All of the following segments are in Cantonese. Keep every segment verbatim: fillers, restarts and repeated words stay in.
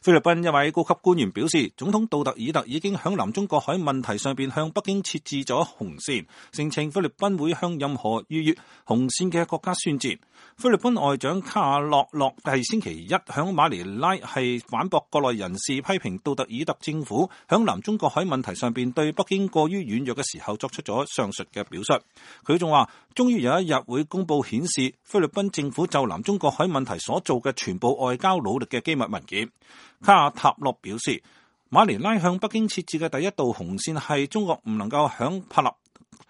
菲律賓一位高級官員表示，總統杜特爾特已經響南中國海問題上邊向北京設置咗紅線，聲稱菲律賓會向任何逾越紅線嘅國家宣戰。菲律賓外長卡瓦諾諾係星期一響馬尼拉係反駁國內人士批評杜特爾特政府響南中國海問題上邊對北京過於軟弱嘅時候作出咗上述嘅表述。佢仲話，終於有一日會公布顯示菲律賓政府就南中國海問題所做嘅全部外交努力嘅機密文件。卡瓦塔諾表示，馬尼拉向北京設置嘅第一道紅線係中國唔能夠響帕納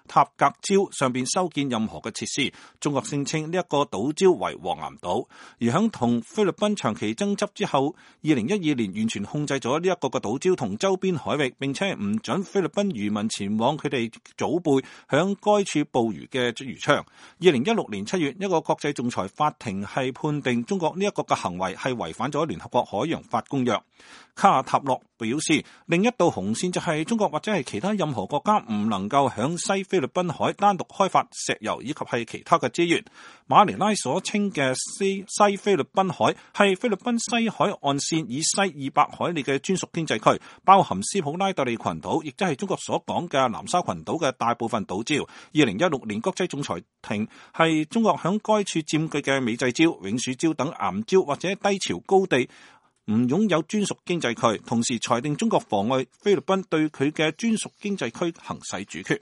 塔格礁上邊修建任何嘅設施。中國聲稱呢一個島礁為黃岩島，而響同菲律賓長期爭執之後，二零一二年完全控制咗呢一個嘅島礁同周邊海域，並且唔准菲律賓漁民前往佢哋祖輩響該處捕魚嘅漁場。二零一六年七月，一個國際仲裁法庭係判定中國呢一個嘅行為係違反咗聯合國海洋法公約。卡瓦塔諾表示，另一道紅線就係中國或者係其他任何國家唔能夠響西菲律賓海單獨開發石油以及係其他嘅資源。馬尼拉所稱嘅西西菲律賓海係菲律賓西海岸線以西二百海里嘅專屬經濟區，包含斯普拉特利群島，亦即係中國所講嘅南沙群島嘅大部分島礁。二零一六年國際仲裁庭係中國響該處佔據嘅美濟礁、永暑礁等岩礁或者低潮高地唔擁有專屬經濟區，同時裁定中國妨礙菲律賓對佢嘅專屬經濟區行使主權。